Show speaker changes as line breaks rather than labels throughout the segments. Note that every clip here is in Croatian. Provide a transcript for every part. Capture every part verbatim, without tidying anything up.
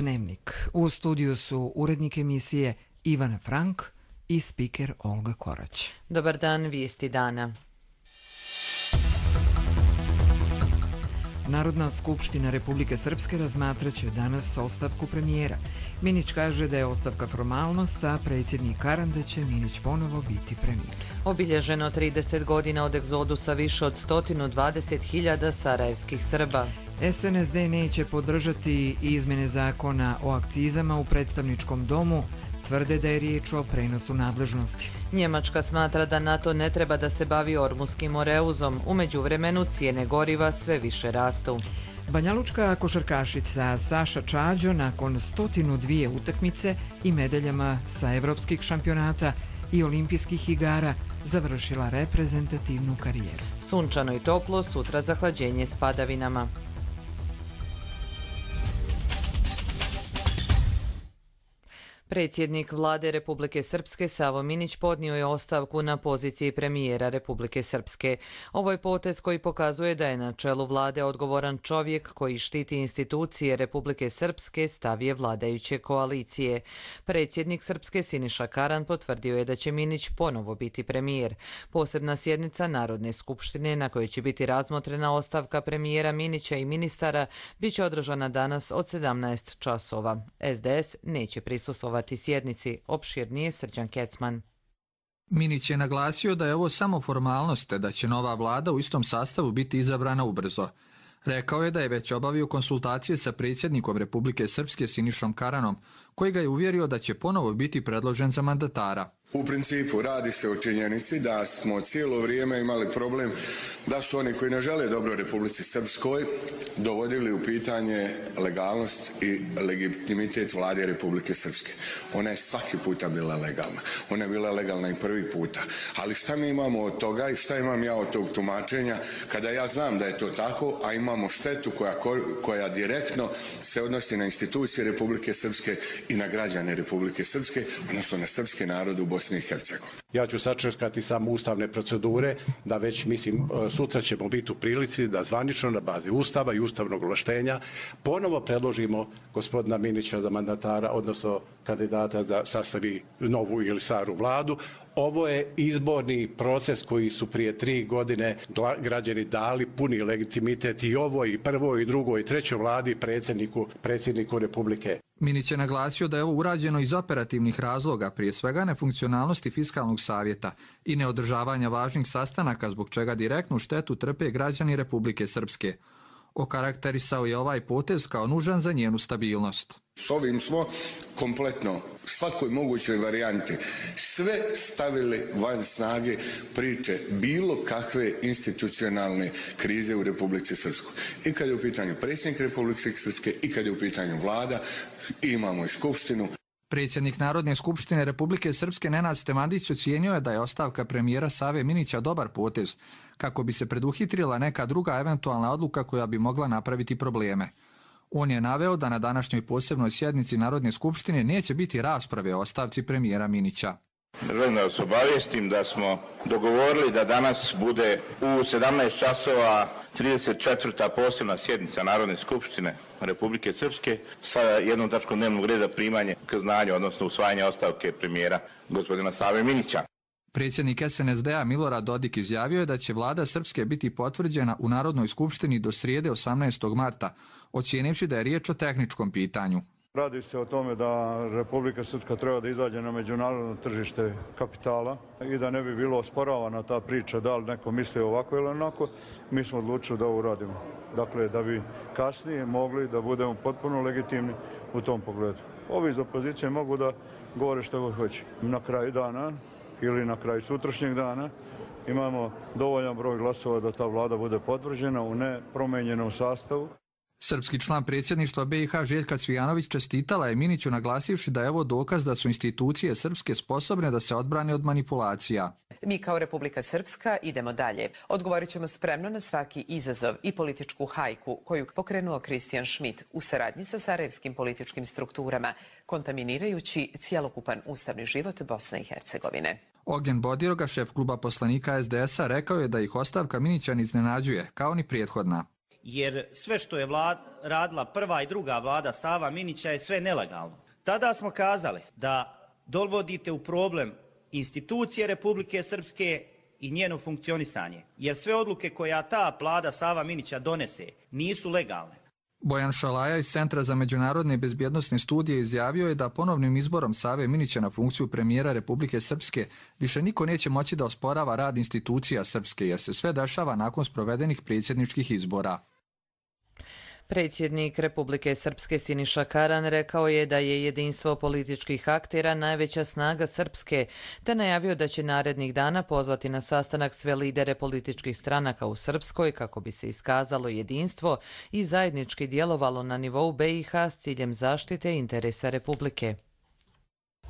Dnevnik. U studiju su urednik emisije Ivan Frank i spiker Olga Korać.
Dobar dan, vijesti dana.
Narodna skupština Republike Srpske razmatraće danas ostavku premijera. Minić kaže da je ostavka formalnost, a predsjednik Karan da će Minić ponovo biti premijer.
Obilježeno trideset godina od egzodusa više od sto dvadeset hiljada sarajevskih Srba.
S N S D neće podržati izmjene zakona o akcizama u predstavničkom domu, tvrde da je riječ o prenosu nadležnosti.
Njemačka smatra da NATO ne treba da se bavi Ormuskim oreuzom. U međuvremenu cijene goriva sve više rastu.
Banjalučka košarkašica Saša Čađo nakon sto dvije utakmice i medaljama sa evropskih šampionata i olimpijskih igara završila reprezentativnu karijeru.
Sunčano i toplo, sutra zahlađenje s padavinama. Predsjednik vlade Republike Srpske Savo Minić podnio je ostavku na poziciji premijera Republike Srpske. Ovo je potez koji pokazuje da je na čelu vlade odgovoran čovjek koji štiti institucije Republike Srpske, stav je vladajuće koalicije. Predsjednik Srpske Siniša Karan potvrdio je da će Minić ponovo biti premijer. Posebna sjednica Narodne skupštine na kojoj će biti razmotrena ostavka premijera Minića i ministara bit će održana danas od sedamnaest časova. S D S neće prisustvovati sjednici, opširnije Srđan Kecman.
Minić je naglasio da je ovo samo formalnost, te da će nova vlada u istom sastavu biti izabrana ubrzo. Rekao je da je već obavio konsultacije sa predsjednikom Republike Srpske Sinišom Karanom, koji ga je uvjerio da će ponovo biti predložen za mandatara.
U principu radi se o činjenici da smo cijelo vrijeme imali problem da su oni koji ne žele dobro Republici Srpskoj dovodili u pitanje legalnost i legitimitet vlade Republike Srpske. Ona je svaki puta bila legalna. Ona je bila legalna i prvi puta. Ali šta mi imamo od toga i šta imam ja od tog tumačenja kada ja znam da je to tako, a imamo štetu koja, koja direktno se odnosi na institucije Republike Srpske i na građane Republike Srpske, odnosno na srpski narod u Bosni i Hercegovini.
Ja ću sačekati samo ustavne procedure, da već, mislim, sutra ćemo biti u prilici da zvanično na bazi Ustava i ustavnog ovlaštenja ponovo predložimo gospodina Minića za mandatara, odnosno kandidata da sastavi novu ili staru vladu. Ovo je izborni proces koji su prije tri godine građani dali puni legitimitet i ovoj, i prvoj, i drugoj, i trećoj vladi predsjedniku, predsjedniku Republike.
Minić je naglasio da je ovo urađeno iz operativnih razloga, prije svega nefunkcionalnosti fiskalnog savjeta i neodržavanja važnih sastanaka, zbog čega direktnu štetu trpe građani Republike Srpske. Okarakterisao je ovaj potez kao nužan za njenu stabilnost.
S ovim smo kompletno svakoj mogućoj varijanti sve stavili van snage priče bilo kakve institucionalne krize u Republici Srpskoj. I kad je u pitanju predsjednik Republike Srpske i kad je u pitanju vlada, imamo i skupštinu.
Predsjednik Narodne skupštine Republike Srpske Nenad Stemadić ocijenio je da je ostavka premijera Save Minića dobar potez, kako bi se preduhitrila neka druga eventualna odluka koja bi mogla napraviti probleme. On je naveo da na današnjoj posebnoj sjednici Narodne skupštine neće biti rasprave o ostavci premijera Minića.
Želim da vas obavijestim da smo dogovorili da danas bude u sedamnaest časova trideset četvrta posebna sjednica Narodne skupštine Republike Srpske sa jednom tačkom dnevnog reda primanje k znanju, odnosno usvajanje ostavke premijera gospodina Save Minića.
Predsjednik S N S D-a Milorad Dodik izjavio je da će vlada Srpske biti potvrđena u Narodnoj skupštini do srijede osamnaestog marta, ocijenivši da je riječ o tehničkom pitanju.
Radi se o tome da Republika Srpska treba da izađe na međunarodno tržište kapitala i da ne bi bilo osporavana ta priča da li neko misli ovako ili onako. Mi smo odlučili da ovo uradimo. Dakle, da bi kasnije mogli da budemo potpuno legitimni u tom pogledu. Ovi iz opozicije mogu da govore što god hoće. Na kraju dana ili na kraju sutrašnjeg dana imamo dovoljan broj glasova da ta vlada bude potvrđena u nepromenjenom sastavu.
Srpski član predsjedništva B i H Željka Cvijanović čestitala je Miniću naglasivši da je ovo dokaz da su institucije srpske sposobne da se odbrane od manipulacija.
Mi kao Republika Srpska idemo dalje. Odgovorit ćemo spremno na svaki izazov i političku hajku koju pokrenuo Kristijan Schmidt u saradnji sa sarajevskim političkim strukturama, kontaminirajući cjelokupan ustavni život Bosne i Hercegovine.
Ognjen Bodiroga, šef kluba poslanika S D S-a, rekao je da ih ostavka Minića ne iznenađuje, kao ni prethodna.
jer sve što je vlad, radila prva i druga vlada Sava Minića je sve nelegalno. Tada smo kazali da dovodite u problem institucije Republike Srpske i njeno funkcionisanje, jer sve odluke koja ta vlada Sava Minića donese nisu legalne.
Bojan Šalaja iz Centra za međunarodne i bezbjednosne studije izjavio je da ponovnim izborom Save Minića na funkciju premijera Republike Srpske više niko neće moći da osporava rad institucija Srpske, jer se sve dešava nakon sprovedenih predsjedničkih izbora.
Predsjednik Republike Srpske Siniša Karan rekao je da je jedinstvo političkih aktera najveća snaga Srpske, te najavio da će narednih dana pozvati na sastanak sve lidere političkih stranaka u Srpskoj kako bi se iskazalo jedinstvo i zajednički djelovalo na nivou B i H s ciljem zaštite interesa Republike.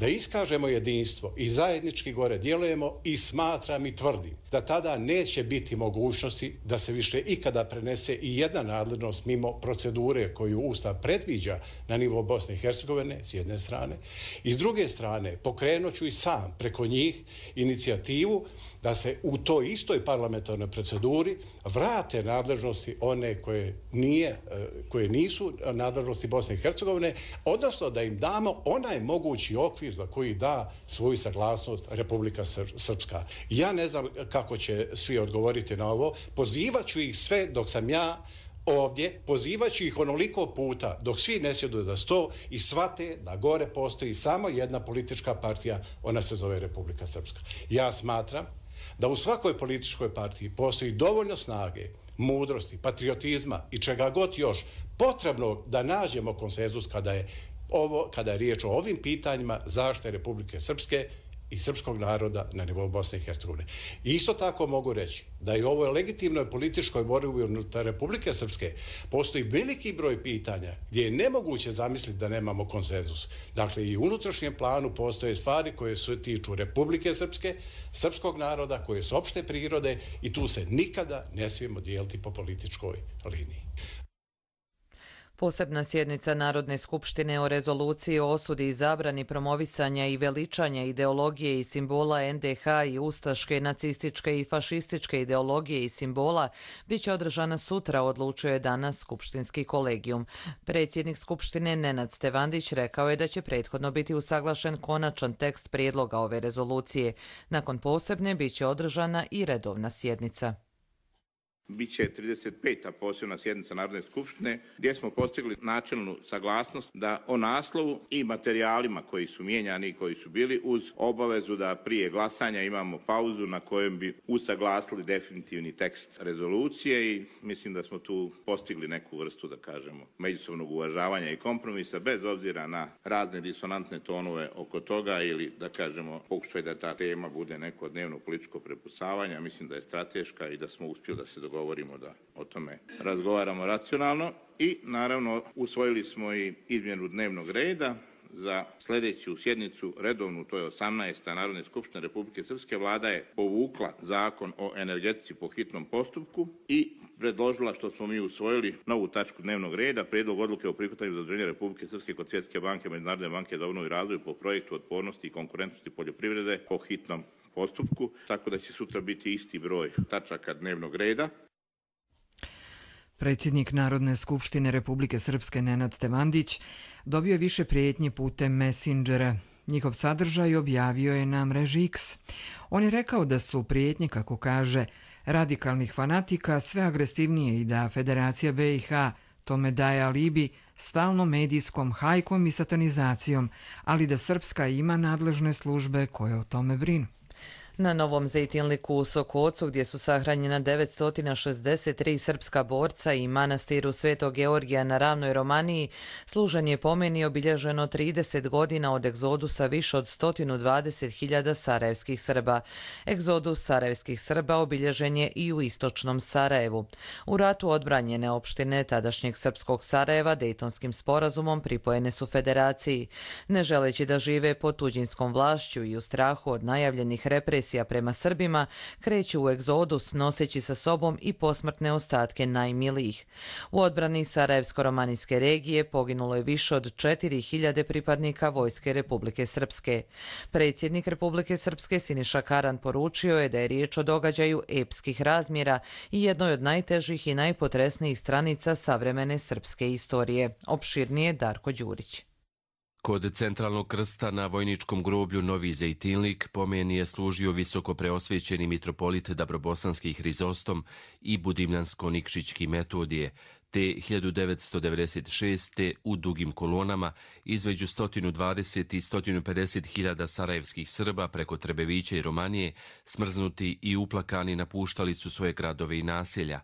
Da iskažemo jedinstvo i zajednički gore djelujemo i smatram i tvrdim da tada neće biti mogućnosti da se više ikada prenese i jedna nadležnost mimo procedure koju Ustav predviđa na nivou Bosne i Hercegovine s jedne strane i s druge strane pokrenut ću i sam preko njih inicijativu da se u toj istoj parlamentarnoj proceduri vrate nadležnosti one koje, nije, koje nisu nadležnosti Bosne i Hercegovine, odnosno da im damo onaj mogući okvir za koji da svoju saglasnost Republika Srpska. Ja ne znam kako će svi odgovoriti na ovo, pozivaću ih sve dok sam ja ovdje, pozivaću ih onoliko puta dok svi ne sjedu za sto i shvate da gore postoji samo jedna politička partija, ona se zove Republika Srpska. Ja smatram da u svakoj političkoj partiji postoji dovoljno snage, mudrosti, patriotizma i čega god još potrebno da nađemo konsenzus kada je, ovo, kada je riječ o ovim pitanjima zaštite Republike Srpske i srpskog naroda na nivou Bosne i Hercegovine. Isto tako mogu reći da i u ovoj legitimnoj političkoj borbi unutar Republike Srpske postoji veliki broj pitanja gdje je nemoguće zamisliti da nemamo konsenzus. Dakle, i u unutrašnjem planu postoje stvari koje se tiču Republike Srpske, srpskog naroda, koje su opšte prirode i tu se nikada ne smijemo dijeliti po političkoj liniji.
Posebna sjednica Narodne skupštine o rezoluciji o osudi i zabrani promovisanja i veličanja ideologije i simbola N D H i ustaške, nacističke i fašističke ideologije i simbola bit će održana sutra, odlučio je danas skupštinski kolegijum. Predsjednik skupštine Nenad Stevandić rekao je da će prethodno biti usaglašen konačan tekst prijedloga ove rezolucije. Nakon posebne bit će održana i redovna sjednica.
Biće trideset peta posebna sjednica Narodne skupštine gdje smo postigli načelnu saglasnost da o naslovu i materijalima koji su mijenjani i koji su bili uz obavezu da prije glasanja imamo pauzu na kojem bi usaglasili definitivni tekst rezolucije i mislim da smo tu postigli neku vrstu, da kažemo, međusobnog uvažavanja i kompromisa bez obzira na razne disonantne tonove oko toga ili, da kažemo, pokušaj da ta tema bude neko dnevno političko prepucavanje. Mislim da je strateška i da smo uspjeli da se dogovorimo govorimo da o tome razgovaramo racionalno i naravno usvojili smo i izmjenu dnevnog reda za sljedeću sjednicu redovnu, to je osamnaesta Narodne skupštine Republike Srpske. Vlada je povukla zakon o energetici po hitnom postupku i predložila, što smo mi usvojili, novu tačku dnevnog reda, prijedlog odluke o prihvatanju zaduženja Republike Srpske kod Svjetske banke, Međunarodne banke za obnovu i razvoj po projektu otpornosti i konkurentnosti poljoprivrede po hitnom postupku, tako da će sutra biti isti broj tačaka dnevnog reda.
Predsjednik Narodne skupštine Republike Srpske Nenad Stevandić dobio je više prijetnji putem Messengera. Njihov sadržaj objavio je na mreži X. On je rekao da su prijetnje, kako kaže, radikalnih fanatika sve agresivnije i da Federacija B i H tome daje alibi stalnom medijskom hajkom i satanizacijom, ali da Srpska ima nadležne službe koje o tome brinu.
Na Novom Zejtinliku u Sokocu, gdje su sahranjena devetsto šezdeset tri srpska borca i manastiru Svetog Georgija na ravnoj Romaniji, služan je pomeni obilježeno trideset godina od egzodusa više od sto dvadeset hiljada sarajevskih Srba. Egzodus sarajevskih Srba obilježen je i u istočnom Sarajevu. U ratu odbranjene opštine tadašnjeg srpskog Sarajeva Dejtonskim sporazumom pripojene su federaciji. Ne želeći da žive pod tuđinskom vlašću i u strahu od najavljenih represija agresija prema Srbima, kreću u egzodus noseći sa sobom i posmrtne ostatke najmilijih. U odbrani Sarajevsko-romanijske regije poginulo je više od četiri hiljade pripadnika Vojske Republike Srpske. Predsjednik Republike Srpske Siniša Karan poručio je da je riječ o događaju epskih razmjera i jednoj od najtežih i najpotresnijih stranica savremene srpske istorije. Opširnije Darko Đurić.
Kod centralnog krsta na vojničkom groblju Novi Zejtinlik pomeni je služio visoko preosvećeni mitropolit Dabrobosanski Hrizostom i Budimljansko-Nikšićki Metodije, te hiljadu devetsto devedeset šeste. u dugim kolonama između sto dvadeset i sto pedeset hiljada sarajevskih Srba preko Trebevića i Romanije, smrznuti i uplakani, napuštali su svoje gradove i naselja.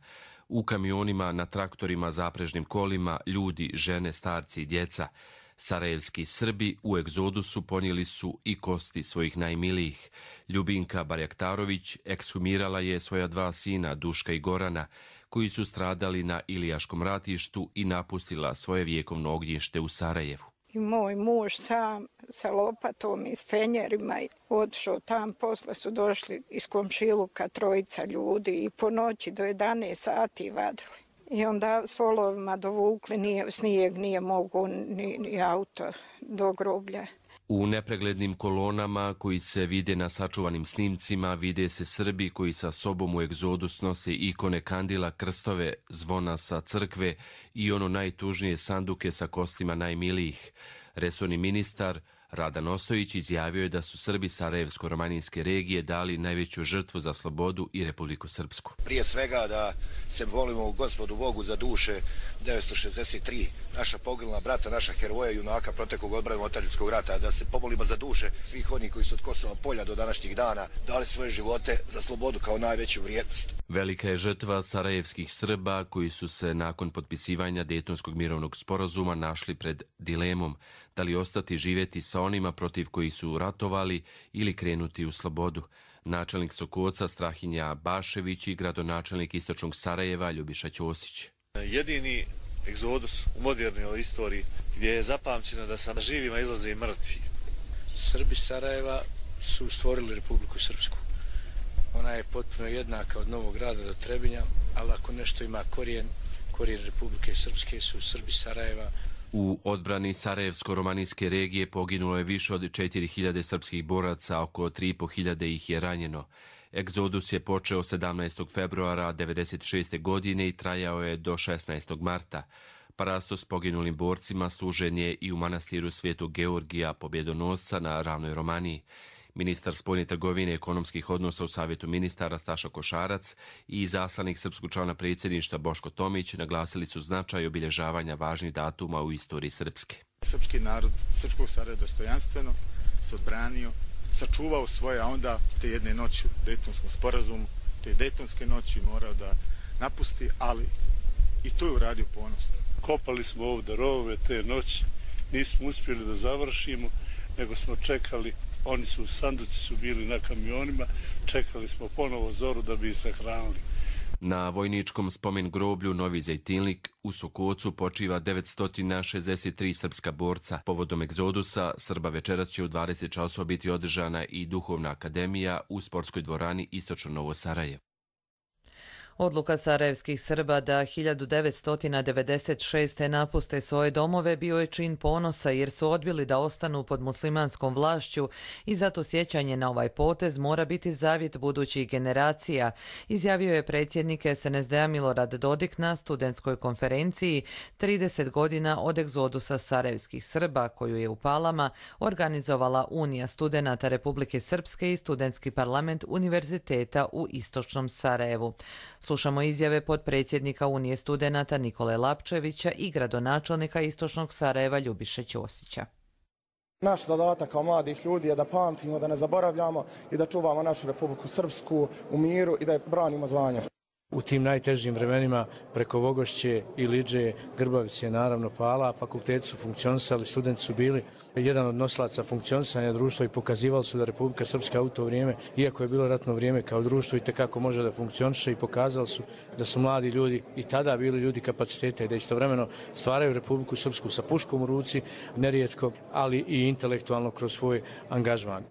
U kamionima, na traktorima, zaprežnim kolima, ljudi, žene, starci i djeca. Sarajevski Srbi u egzodusu ponijeli su i kosti svojih najmilijih. Ljubinka Barjaktarović ekshumirala je svoja dva sina, Duška i Gorana, koji su stradali na Ilijaškom ratištu i napustila svoje vjekovno ognjište u Sarajevu.
I moj muž sam sa lopatom i s fenjerima otišao tam, posle su došli iz komšiluka trojica ljudi i po noći do jedanaest sati vadili. I onda s volovima dovukli, nije, snijeg nije mogu ni, ni auto do groblja.
U nepreglednim kolonama koji se vide na sačuvanim snimcima vide se Srbi koji sa sobom u egzodus nose ikone kandila, krstove, zvona sa crkve i ono najtužnije sanduke sa kostima najmilijih. Resorni ministar Radan Ostojić izjavio je da su Srbi Sarajevsko-romanijske regije dali najveću žrtvu za slobodu i Republiku Srpsku.
Prije svega da se molimo Gospodu Bogu za duše devetsto šezdeset tri naša poginula brata, naša heroja i junaka proteklog odbrane otadžbinskog rata, da se pomolimo za duše svih onih koji su od Kosova polja do današnjih dana dali svoje živote za slobodu kao najveću vrijednost.
Velika je žrtva sarajevskih Srba koji su se nakon potpisivanja Dejtonskog mirovnog sporazuma našli pred dilemom da li ostati živjeti sa onima protiv kojih su ratovali ili krenuti u slobodu. Načelnik Sokoca Strahinja Bašević i gradonačelnik istočnog Sarajeva Ljubiša Ćosić.
Jedini egzodus u modernoj istoriji gdje je zapamćeno da sa živima izlaze i mrtvi.
Srbi Sarajeva su stvorili Republiku Srpsku. Ona je potpuno jednaka od Novog Grada do Trebinja, ali ako nešto ima korijen, korijen Republike Srpske su Srbi Sarajeva.
U odbrani Sarajevsko-romanijske regije poginulo je više od četiri hiljade srpskih boraca, oko tri i po hiljade ih je ranjeno. Egzodus je počeo sedamnaestog februara devedeset šeste. godine i trajao je do šesnaestog marta. Parastos s poginulim borcima služen je i u manastiru Svetog Georgija Pobjedonosca na ravnoj Romaniji. Ministar spoljne trgovine i ekonomskih odnosa u Savjetu ministara Staša Košarac i izaslanik srpskog člana predsjedništva Boško Tomić naglasili su značaj obilježavanja važnih datuma u istoriji Srpske.
Srpski narod Srpskog Sarajeva dostojanstveno se odbranio, sačuvao svoje, a onda te jedne noći u Dejtonskom sporazumu, te Dejtonske noći morao da napusti, ali i to je uradio ponosno.
Kopali smo ovdje rovove te noći, nismo uspjeli da završimo, nego smo čekali. Oni su, sanduci su bili na kamionima, čekali smo ponovo zoru da bi ih sahranili.
Na vojničkom spomen groblju Novi Zejtinlik u Sokocu počiva devetsto šezdeset tri srpska borca. Povodom egzodusa Srba večeras će u dvadeset časova biti održana i duhovna akademija u sportskoj dvorani Istočno Novo Sarajevo.
Odluka sarajevskih Srba da hiljadu devetsto devedeset šeste. napuste svoje domove bio je čin ponosa jer su odbili da ostanu pod muslimanskom vlašću i zato sjećanje na ovaj potez mora biti zavjet budućih generacija, izjavio je predsjednik es en es de a Milorad Dodik na studentskoj konferenciji trideset godina od egzodusa sarajevskih Srba koju je u Palama organizovala Unija studenata Republike Srpske i Studentski parlament Univerziteta u Istočnom Sarajevu. Slušamo izjave potpredsjednika Unije studenata Nikole Lapčevića i gradonačelnika Istočnog Sarajeva Ljubiše Ćosića.
Naš zadatak kao mladih ljudi je da pamtimo, da ne zaboravljamo i da čuvamo našu Republiku Srpsku u miru i da je branimo zvanje.
U tim najtežim vremenima preko Vogošće, Iliđe, Grbavice, naravno Pala, fakulteti su funkcionisali, studenti su bili jedan od nosilaca funkcionisanja društva i pokazivali su da Republika Srpska u to vrijeme, iako je bilo ratno vrijeme kao društvo, i tekako može da funkcioniše i pokazali su da su mladi ljudi i tada bili ljudi kapaciteta i da istovremeno stvaraju Republiku Srpsku sa puškom u ruci, nerijetko, ali i intelektualno kroz svoj angažman.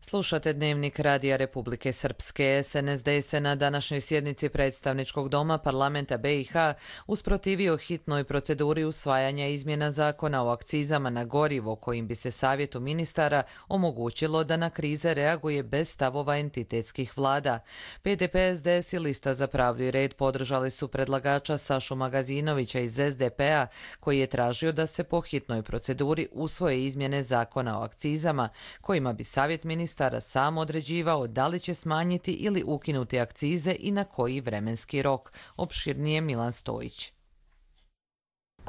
Slušate Dnevnik Radija Republike Srpske. S N S D se na današnjoj sjednici predstavničkog doma parlamenta B i H usprotivio hitnoj proceduri usvajanja izmjena zakona o akcizama na gorivo kojim bi se savjetu ministara omogućilo da na krize reaguje bez stavova entitetskih vlada. P D P, S D S i Lista za pravdu i red podržali su predlagača Sašu Magazinovića iz S D P-a koji je tražio da se po hitnoj proceduri usvoje izmjene zakona o akcizama kojima bi savjet ministara sam određivao da li će smanjiti ili ukinuti akcize i na koji vremenski rok. Opširnije Milan Stojić.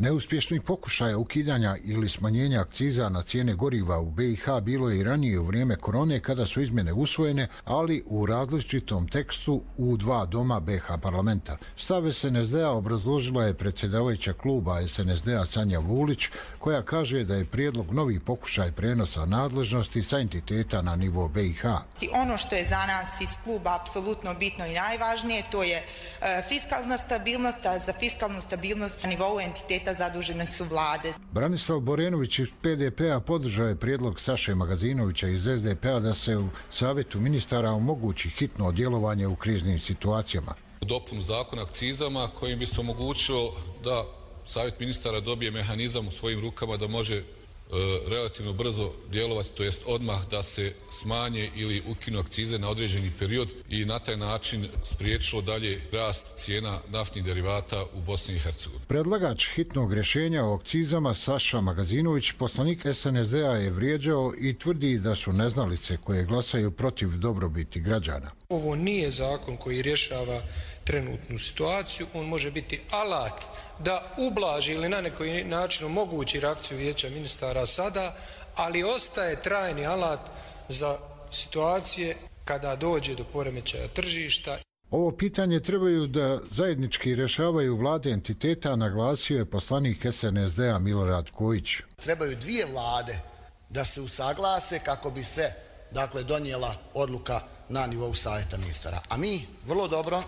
Neuspješnih pokušaja ukidanja ili smanjenja akciza na cijene goriva u B i H bilo je i ranije u vrijeme korone kada su izmjene usvojene, ali u različitom tekstu u dva doma B i H parlamenta. Stav S N S D-a obrazložila je predsjedavajuća kluba S N S D-a Sanja Vulić, koja kaže da je prijedlog novi pokušaj prenosa nadležnosti sa entiteta na nivo B i H.
Ono što je za nas iz kluba apsolutno bitno i najvažnije, to je e, fiskalna stabilnost, a za fiskalnu stabilnost na nivou entiteta zadužene su vlade.
Branislav Borenović iz P D P-a podržao je prijedlog Saše Magazinovića iz S D P-a da se u savjetu ministara omogući hitno djelovanje u kriznim situacijama.
Dopunu zakona akcizama kojim bi se omogućilo da savjet ministara dobije mehanizam u svojim rukama da može relativno brzo djelovati, to jest odmah da se smanje ili ukinu akcize na određeni period i na taj način spriječilo dalje rast cijena naftnih derivata u Bosni i Hercegovini.
Predlagač hitnog rješenja o akcizama Saša Magazinović, poslanik S N S D-a, je vrijeđao i tvrdi da su neznalice koje glasaju protiv dobrobiti građana.
Ovo nije zakon koji rješava trenutnu situaciju, on može biti alat da ublaži ili na neki način omogući reakciju vijeća ministara sada, ali ostaje trajni alat za situacije kada dođe do poremećaja tržišta.
Ovo pitanje trebaju da zajednički rješavaju vlade entiteta, naglasio je poslanik S N S D-a Milorad Kojić.
Trebaju dvije vlade da se usaglase kako bi se, dakle, donijela odluka na nivou savjeta ministara. A mi vrlo dobro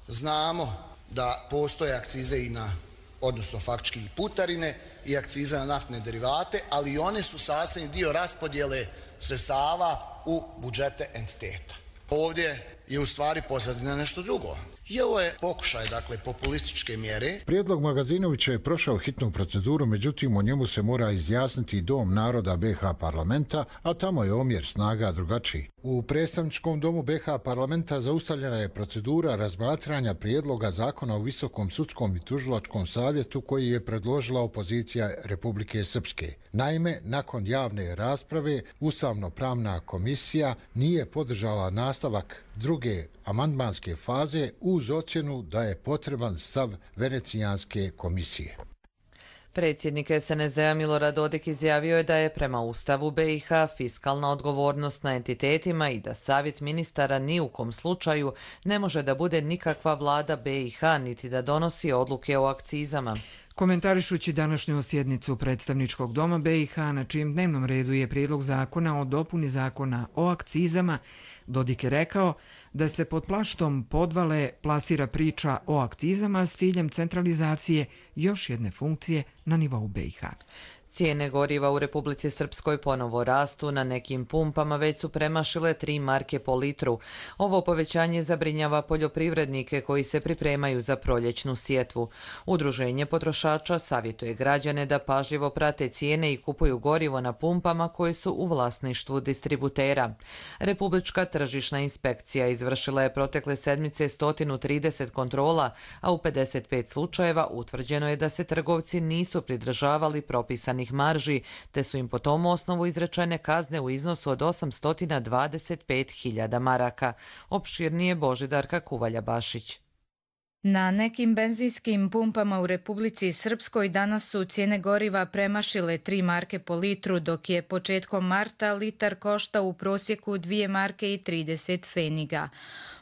znamo da postoje akcize i na, odnosno faktički i putarine i akcize na naftne derivate, ali one su sastavni dio raspodjele sredstava u budžete entiteta. Ovdje je u stvari pozadina nešto drugo. I ovo je pokušaj, dakle, populističke mjere.
Prijedlog Magazinovića je prošao hitnu proceduru, međutim o njemu se mora izjasniti Dom naroda B i H parlamenta, a tamo je omjer snaga drugačiji. U predstavničkom domu B i H parlamenta zaustavljena je procedura razmatranja prijedloga zakona o Visokom sudskom i tužilačkom savjetu koji je predložila opozicija Republike Srpske. Naime, nakon javne rasprave, Ustavno-pravna komisija nije podržala nastavak druge amandmanske faze uz ocjenu da je potreban stav Venecijanske komisije.
Predsjednik S N S D-a Milorad Dodik izjavio je da je prema Ustavu B i H fiskalna odgovornost na entitetima i da savjet ministara ni u kom slučaju ne može da bude nikakva vlada B i H niti da donosi odluke o akcizama.
Komentarišući današnju sjednicu predstavničkog doma B i H na čijem dnevnom redu je prijedlog zakona o dopuni zakona o akcizama, Dodik je rekao da se pod plaštom podvale plasira priča o akcizama s ciljem centralizacije još jedne funkcije na nivou B i H.
Cijene goriva u Republici Srpskoj ponovo rastu, na nekim pumpama već su premašile tri marke po litru. Ovo povećanje zabrinjava poljoprivrednike koji se pripremaju za proljećnu sjetvu. Udruženje potrošača savjetuje građane da pažljivo prate cijene i kupuju gorivo na pumpama koji su u vlasništvu distributera. Republička tržišna inspekcija izvršila je protekle sedmice sto trideset kontrola, a u pedeset pet slučajeva utvrđeno je da se trgovci nisu pridržavali propisanih marži, te su im po tom osnovu izrečene kazne u iznosu od osamsto dvadeset pet hiljada maraka. Opširnije Božidarka Kuvalja-Bašić.
Na nekim benzinskim pumpama u Republici Srpskoj danas su cijene goriva premašile tri marke po litru, dok je početkom marta litar koštao u prosjeku dvije marke i trideset pfeniga.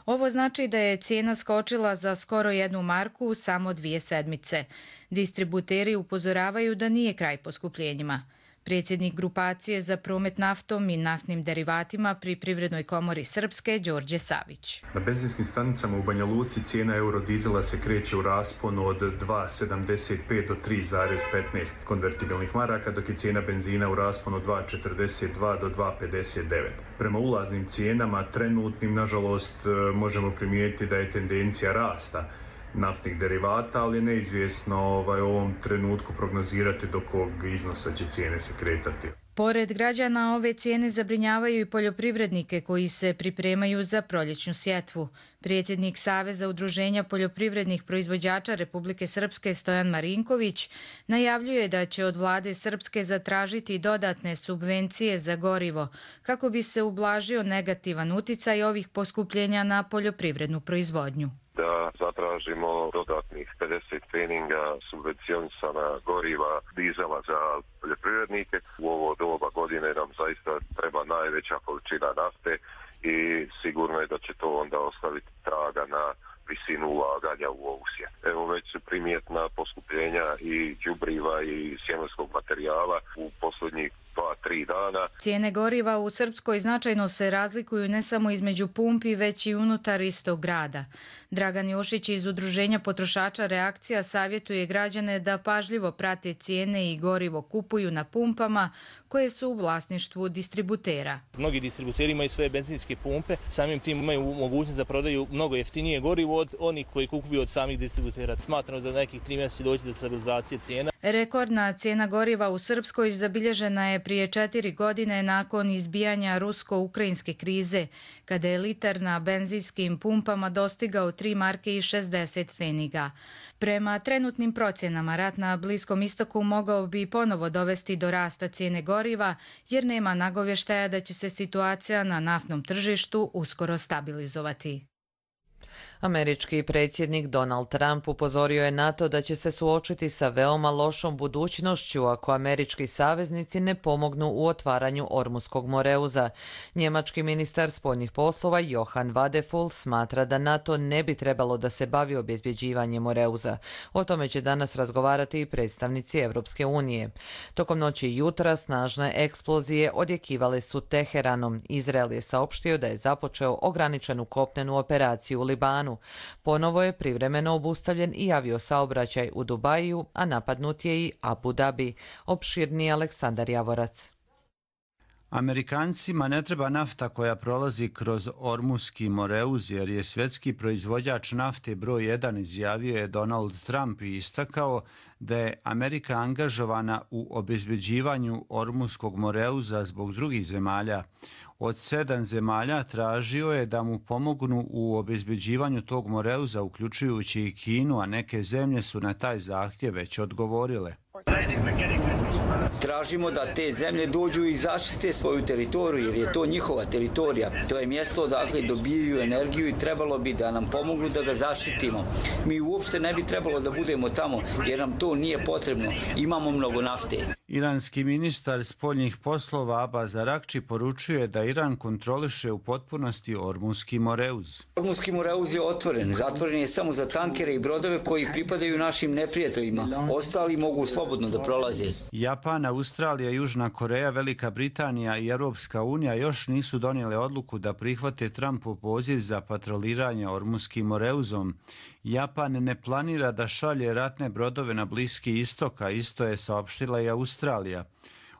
Ovo znači da je cijena skočila za skoro jednu marku u samo dvije sedmice. Distributeri upozoravaju da nije kraj poskupljenjima. Predsjednik grupacije za promet naftom i naftnim derivatima pri Privrednoj komori Srpske, Đorđe Savić.
Na benzinskim stanicama u Banja Luci cijena eurodizela se kreće u rasponu od dva sedamdeset pet do tri zarez petnaest konvertibilnih maraka, dok je cijena benzina u rasponu dva četrdeset dva do dva pedeset devet. Prema ulaznim cijenama, trenutnim, nažalost, možemo primijetiti da je tendencija rasta naftnih derivata, ali je neizvjesno ovaj, u ovom trenutku prognozirati do kog iznosa će cijene se kretati.
Pored građana, ove cijene zabrinjavaju i poljoprivrednike koji se pripremaju za proljećnu sjetvu. Predsjednik Saveza udruženja poljoprivrednih proizvođača Republike Srpske Stojan Marinković najavljuje da će od vlade Srpske zatražiti dodatne subvencije za gorivo kako bi se ublažio negativan uticaj ovih poskupljenja na poljoprivrednu proizvodnju.
Da zatražimo dodatnih pedeset pfeninga subvencionisana goriva dizela za poljoprivrednike. U ovo doba godine nam zaista treba najveća količina nafte i sigurno je da će to onda ostaviti traga na visinu ulaganja u ovu sjetvu. Evo već su primjetna poskupljenja i đubriva i sjemenskog materijala u posljednjih dva, tri dana.
Cijene goriva u Srpskoj značajno se razlikuju ne samo između pumpi, već i unutar istog grada. Dragan Jošić iz Udruženja potrošača Reakcija savjetuje građane da pažljivo prate cijene i gorivo kupuju na pumpama koje su u vlasništvu distributera.
Mnogi distributeri imaju svoje benzinske pumpe, samim tim imaju mogućnost da prodaju mnogo jeftinije gorivo od onih koji kupuju od samih distributera. Smatramo da za nekih tri mjeseca doći do stabilizacije cijena.
Rekordna cijena goriva u Srpskoj zabilježena je prije četiri godine nakon izbijanja rusko-ukrajinske krize, kada je litar na benzinskim pumpama dostigao tri marke i šezdeset pfeniga. Prema trenutnim procjenama, rat na Bliskom istoku mogao bi ponovo dovesti do rasta cijene goriva, jer nema nagovještaja da će se situacija na naftnom tržištu uskoro stabilizovati.
Američki predsjednik Donald Trump upozorio je na to da će se suočiti sa veoma lošom budućnošću ako američki saveznici ne pomognu u otvaranju Ormuskog moreuza. Njemački ministar spoljnih poslova Johann Wadephul smatra da NATO ne bi trebalo da se bavi obezbjeđivanjem moreuza. O tome će danas razgovarati i predstavnici Evropske unije. Tokom noći i jutra snažne eksplozije odjekivale su Teheranom. Izrael je saopštio da je započeo ograničenu kopnenu operaciju u Libanu. Ponovo je privremeno obustavljen i aviosaobraćaj u Dubaju, a napadnut je i Abu Dhabi. Opširni Aleksandar Javorac.
Amerikancima ne treba nafta koja prolazi kroz Ormuski moreuz, jer je svjetski proizvođač nafte broj jedan, izjavio je Donald Trump i istakao da je Amerika angažovana u obezbeđivanju Ormuskog moreuza zbog drugih zemalja. Od sedam zemalja tražio je da mu pomognu u obezbeđivanju tog moreuza, uključujući i Kinu, a neke zemlje su na taj zahtjev već odgovorile.
Tražimo da te zemlje dođu i zaštite svoju teritoriju, jer je to njihova teritorija. To je mjesto odakle dobijaju energiju i trebalo bi da nam pomognu da ga zaštitimo. Mi uopšte ne bi trebalo da budemo tamo, jer nam to nije potrebno. Imamo mnogo nafte.
Iranski ministar spoljnih poslova Abbas Arakči poručuje da Iran kontroliše u potpunosti Ormuski moreuz.
Ormuski moreuz je otvoren. Zatvoren je samo za tankere i brodove koji pripadaju našim neprijateljima. Ostali mogu slobodno da prolaze.
Japan, Australija, Južna Koreja, Velika Britanija i Europska unija još nisu donijele odluku da prihvate Trumpov poziv za patroliranje Ormuskim moreuzom. Japan ne planira da šalje ratne brodove na Bliski istok, a isto je saopštila i Australija.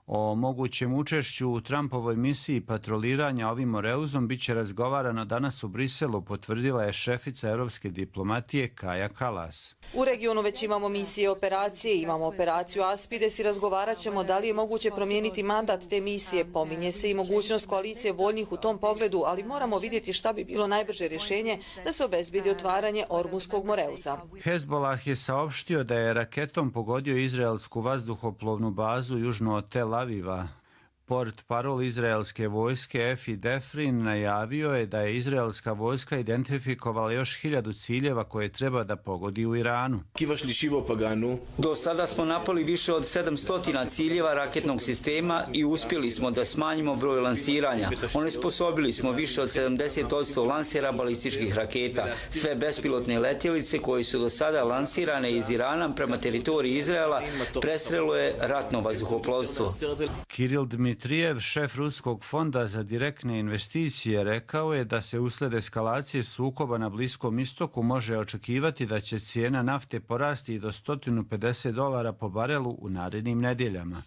O mogućem učešću u Trumpovoj misiji patroliranja ovim moreuzom bit će razgovarano danas u Briselu, potvrdila je šefica europske diplomatije Kaja Kallas.
U regionu već imamo misije i operacije, imamo operaciju Aspides i razgovarat ćemo da li je moguće promijeniti mandat te misije. Pominje se i mogućnost koalicije voljnih u tom pogledu, ali moramo vidjeti šta bi bilo najbrže rješenje da se obezbedi otvaranje Ormuskog moreuza.
Hezbollah je saopštio da je raketom pogodio izraelsku vazduhoplovnu bazu južno od Tel Aviva. Port parol izraelske vojske Efi Defrin najavio je da je izraelska vojska identifikovala još hiljadu ciljeva koje treba da pogodi u Iranu.
Do sada smo napali više od sedamsto ciljeva raketnog sistema i uspjeli smo da smanjimo broj lansiranja. Onesposobili smo više od sedamdeset posto lansera balističkih raketa. Sve bespilotne letjelice koje su do sada lansirane iz Irana prema teritoriji Izraela prestrelo je ratno vazduhoplovstvo.
Kiril Dmitrijev, šef Ruskog fonda za direktne investicije, rekao je da se usled eskalacije sukoba na Bliskom istoku može očekivati da će cijena nafte porasti do sto pedeset dolara po barelu u narednim nedjeljama.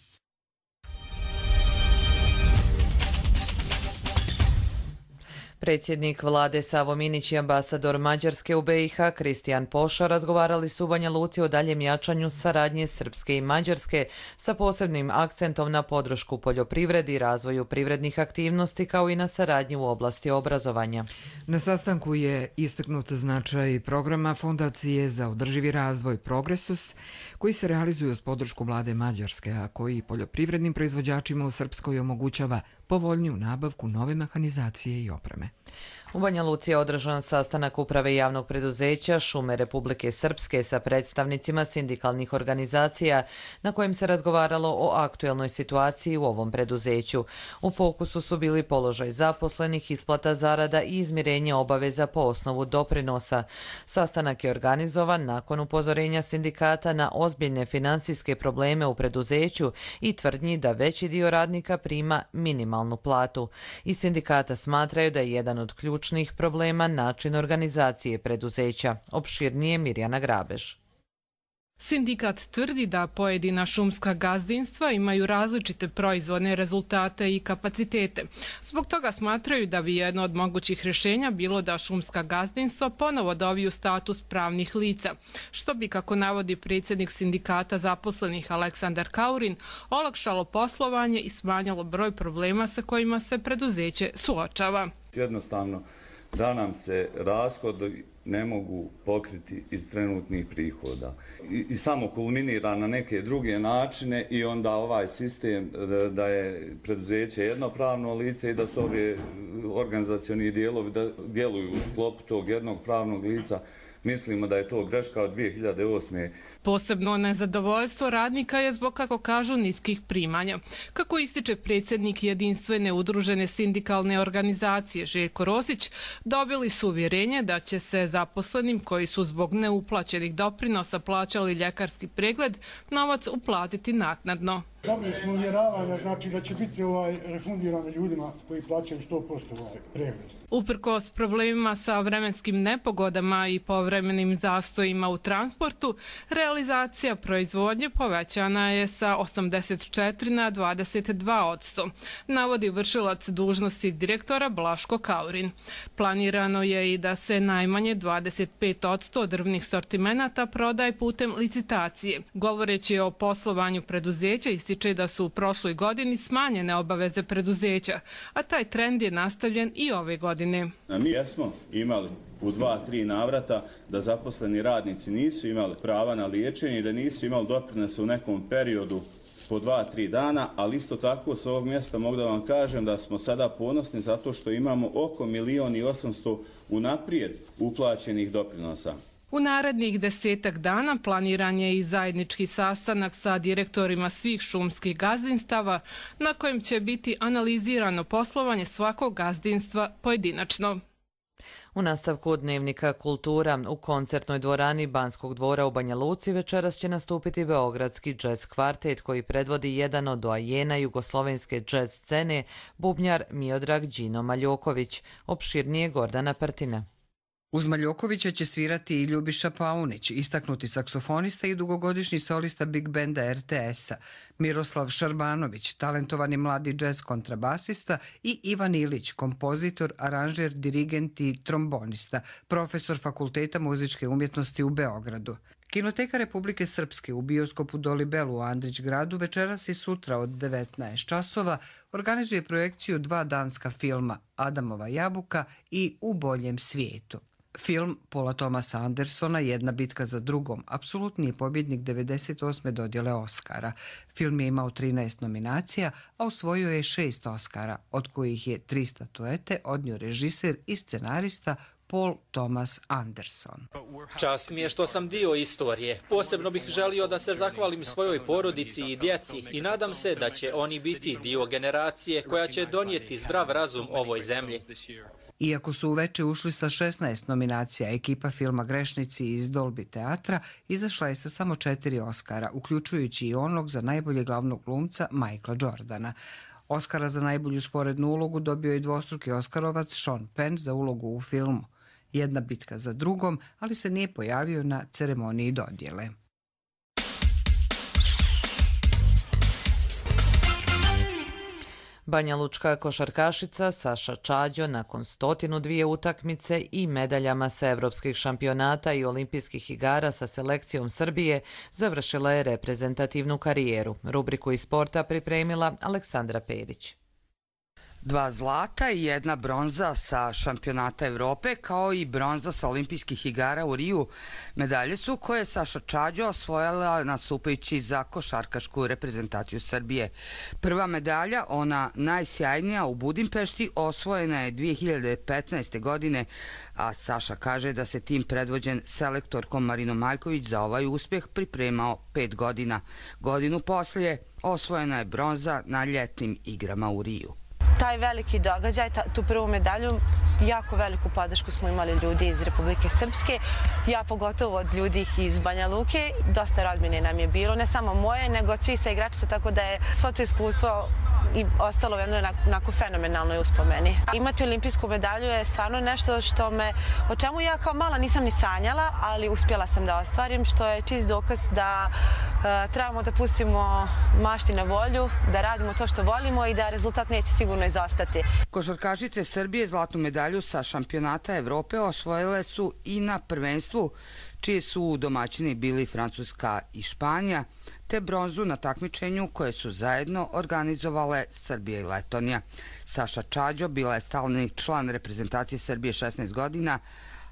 Predsjednik vlade Savo Minić i ambasador Mađarske u B i H Kristijan Poša razgovarali su u Banja Luci o daljem jačanju saradnje Srpske i Mađarske sa posebnim akcentom na podršku poljoprivredi i razvoju privrednih aktivnosti kao i na saradnju u oblasti obrazovanja.
Na sastanku je istaknut značaj programa Fondacije za održivi razvoj Progresus koji se realizuje uz podršku vlade Mađarske, a koji poljoprivrednim proizvođačima u Srpskoj omogućava povoljniju nabavku nove mehanizacije i opreme.
U Banja Luci je održan sastanak uprave javnog preduzeća Šume Republike Srpske sa predstavnicima sindikalnih organizacija na kojem se razgovaralo o aktuelnoj situaciji u ovom preduzeću. U fokusu su bili položaj zaposlenih, isplata zarada i izmirenje obaveza po osnovu doprinosa. Sastanak je organizovan nakon upozorenja sindikata na ozbiljne finansijske probleme u preduzeću i tvrdnji da veći dio radnika prima minimalnu platu. Iz sindikata smatraju da je jedan od ključnih problema način organizacije preduzeća. Opširnije Mirjana Grabež.
Sindikat tvrdi da pojedina šumska gazdinstva imaju različite proizvodne rezultate i kapacitete. Zbog toga smatraju da bi jedno od mogućih rješenja bilo da šumska gazdinstva ponovo dobiju status pravnih lica, što bi, kako navodi predsjednik sindikata zaposlenih Aleksandar Kaurin, olakšalo poslovanje i smanjilo broj problema sa kojima se preduzeće suočava.
Jednostavno da nam se rashodi ne mogu pokriti iz trenutnih prihoda. I, i samo kulminira na neke druge načine i onda ovaj sistem da, da je preduzeće jednopravno lice i da su ovi organizacioni dijelovi da djeluju u sklopu tog jednog pravnog lica. Mislimo da je to greška od dvije hiljade osme.
Posebno nezadovoljstvo radnika je zbog, kako kažu, niskih primanja. Kako ističe predsjednik jedinstvene udružene sindikalne organizacije Željko Rosić, dobili su uvjerenje da će se zaposlenim koji su zbog neuplaćenih doprinosa plaćali ljekarski pregled novac uplatiti naknadno.
Dobili smo uvjeravanja, znači da će biti ovaj refundirani ljudima koji plaćaju sto posto ovaj pregled.
Uprkos problemima sa vremenskim nepogodama i povremenim zastojima u transportu, realizacija proizvodnje povećana je sa osamdeset četiri na dvadeset dva posto, navodi vršilac dužnosti direktora Blaško Kaurin. Planirano je i da se najmanje dvadeset pet posto drvnih sortimenata prodaje putem licitacije. Govoreći o poslovanju preduzeća, ističe da su u prošloj godini smanjene obaveze preduzeća, a taj trend je nastavljen i ove godine.
Mi jesmo imali u dva, tri navrata da zaposleni radnici nisu imali prava na liječenje i da nisu imali doprinose u nekom periodu po dva, tri dana, ali isto tako s ovog mjesta mogu da vam kažem da smo sada ponosni zato što imamo oko milion i osamsto unaprijed uplaćenih doprinosa.
U narednih desetak dana planiran je i zajednički sastanak sa direktorima svih šumskih gazdinstava na kojem će biti analizirano poslovanje svakog gazdinstva pojedinačno.
U nastavku dnevnika Kultura u koncertnoj dvorani Banskog dvora u Banja Luci večeras će nastupiti beogradski džez kvartet koji predvodi jedan od doajena jugoslovenske džez scene, bubnjar Miodrag Đino Maljoković. Opširnije Gordana Prtina.
Uz Maljokovića će svirati i Ljubiša Paunić, istaknuti saksofonista i dugogodišnji solista Big Benda er te esa, Miroslav Šarbanović, talentovani mladi džez kontrabasista i Ivan Ilić, kompozitor, aranžer, dirigent i trombonista, profesor Fakulteta muzičke umjetnosti u Beogradu. Kinoteka Republike Srpske u bioskopu Dolibelu u Andrić gradu večeras i sutra od devetnaest časova organizuje projekciju dva danska filma Adamova jabuka i U boljem svijetu. Film Paula Thomasa Andersona Jedna bitka za drugom apsolutni je pobjednik devedeset osme dodjele Oscara. Film je imao trinaest nominacija, a osvojio je šest Oscara, od kojih je tri statuete odnio režiser i scenarista Paul Thomas Anderson.
Čast mi je što sam dio istorije. Posebno bih želio da se zahvalim svojoj porodici i djeci i nadam se da će oni biti dio generacije koja će donijeti zdrav razum ovoj zemlji.
Iako su uveče ušli sa šesnaest nominacija, ekipa filma Grešnici iz Dolby teatra izašla je sa samo četiri Oscara, uključujući i onog za najbolje glavnog glumca Michaela Jordana. Oscara za najbolju sporednu ulogu dobio je dvostruki Oskarovac Sean Penn za ulogu u filmu Jedna bitka za drugom, ali se nije pojavio na ceremoniji dodjele.
Banjalučka košarkašica Saša Čađo nakon stotinu dvije utakmice i medaljama sa evropskih šampionata i olimpijskih igara sa selekcijom Srbije završila je reprezentativnu karijeru. Rubriku iz sporta pripremila Aleksandra Perić.
Dva zlata i jedna bronza sa šampionata Evrope, kao i bronza sa olimpijskih igara u Riju. Medalje su koje je Saša Čađo osvojila nastupajući za košarkašku reprezentaciju Srbije. Prva medalja, ona najsjajnija u Budimpešti, osvojena je dvije hiljade petnaeste. godine, a Saša kaže da se tim predvođen selektorkom Marinom Maljković za ovaj uspjeh pripremao pet godina. Godinu poslije osvojena je bronza na ljetnim igrama u Riju.
Taj veliki događaj, tu prvu medalju, jako veliku podršku smo imali ljudi iz Republike Srpske, ja pogotovo od ljudi iz Banja Luke. Dosta rodbine nam je bilo, ne samo moje, nego od svih sa igračica, tako da je svo to iskustvo i ostalo u jednoj onako fenomenalnoj uspomeni. Imati olimpijsku medalju je stvarno nešto što me, o čemu ja kao mala nisam ni sanjala, ali uspjela sam da ostvarim, što je čist dokaz da uh, trebamo da pustimo mašti na volju, da radimo to što volimo i da rezultat neće sigurno izostati.
Košarkašice Srbije zlatnu medalju sa šampionata Evrope osvojile su i na prvenstvu, čije su domaćini bili Francuska i Španija, te bronzu na takmičenju koje su zajedno organizovale Srbija i Letonija. Saša Čađo bila je stalni član reprezentacije Srbije šesnaest godina,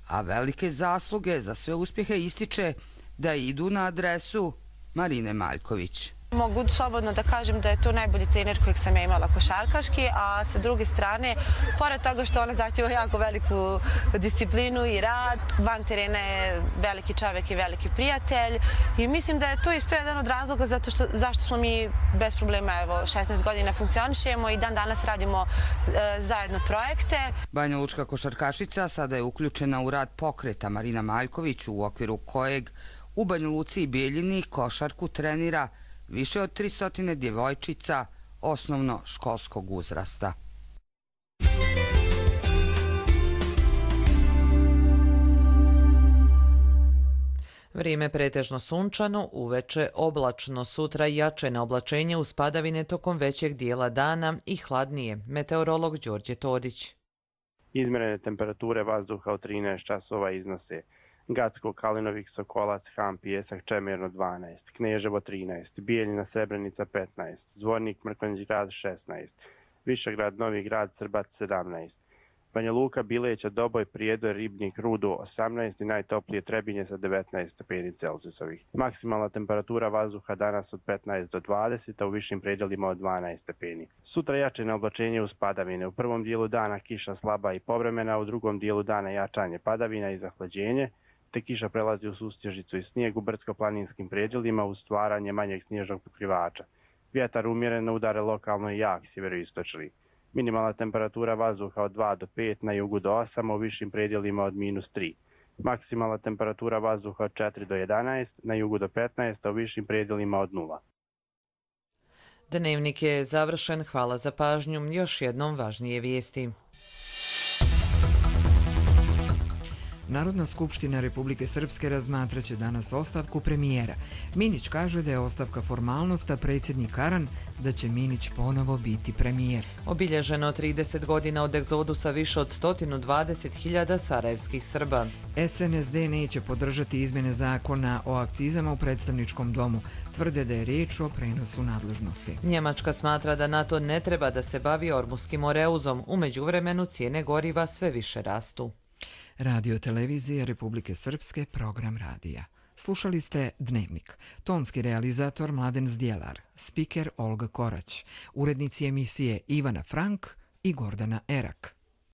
a velike zasluge za sve uspjehe ističe da idu na adresu Marine Maljković.
Mogu slobodno da kažem da je to najbolji trener kojeg sam ja imala košarkaški, a sa druge strane, pored toga što ona zahtjeva jako veliku disciplinu i rad, van terena je veliki čovjek i veliki prijatelj i mislim da je to isto jedan od razloga zato što, zašto smo mi bez problema evo, šesnaest godina funkcionišemo i dan danas radimo e, zajedno projekte.
Banjalučka košarkašica sada je uključena u rad pokreta Marina Maljković, u okviru kojeg u Banja Luci i Bijeljini košarku trenira više od tristo djevojčica osnovno školskog uzrasta.
Vrijeme pretežno sunčano, uveče oblačno, sutra jače na oblačenje uz padavine tokom većeg dijela dana i hladnije. Meteorolog Đorđe Todić.
Izmjerene temperature vazduha od trinaest časova iznose Gacko, Kalinovik, Sokolac, Ham, Pijesak, Čemerno dvanaest, Kneževo trinaest, Bijeljina, Srebrenica petnaest, Zvornik, Mrkonjić grad šesnaest, Višegrad, Novi grad, Srbac sedamnaest, Banja Luka, Bileća, Doboj, Prijedor, Ribnik, Rudo osamnaest i najtoplije Trebinje sa devetnaest stepeni Celzijusovih. Maksimalna temperatura vazduha danas od petnaest do dvadeset, a u višim predjelima od dvanaest stepeni. Sutra jače na oblačenje uz padavine. U prvom dijelu dana kiša slaba i povremena, u drugom dijelu dana jačanje padavina i zahlađenje, te kiša prelazi u sustježicu i snijeg u brdsko-planinskim predjelima uz stvaranje manjeg snježnog pokrivača. Vjetar umjereno udare lokalno i jak sjeveroistočni. Minimalna temperatura vazduha od dva do pet, na jugu do osam, u višim predjelima od minus tri. Maksimalna temperatura vazduha od četiri do jedanaest, na jugu do petnaest, a u višim predjelima od nula.
Dnevnik je završen, hvala za pažnju, još jednom važnije vijesti.
Narodna skupština Republike Srpske razmatraće danas ostavku premijera. Minić kaže da je ostavka formalnost, a predsjednik Karan da će Minić ponovo biti premijer.
Obilježeno trideset godina od egzodusa više od sto dvadeset hiljada sarajevskih Srba.
S N S D neće podržati izmjene zakona o akcizama u predstavničkom domu. Tvrde da je riječ o prenosu nadležnosti.
Njemačka smatra da NATO ne treba da se bavi Ormuskim oreuzom. U međuvremenu cijene goriva sve više rastu.
Radio televizije Republike Srpske, program radija. Slušali ste Dnevnik. Tonski realizator Mladen Zdjelar, spiker Olga Korać, urednici emisije Ivana Frank i Gordana Erak.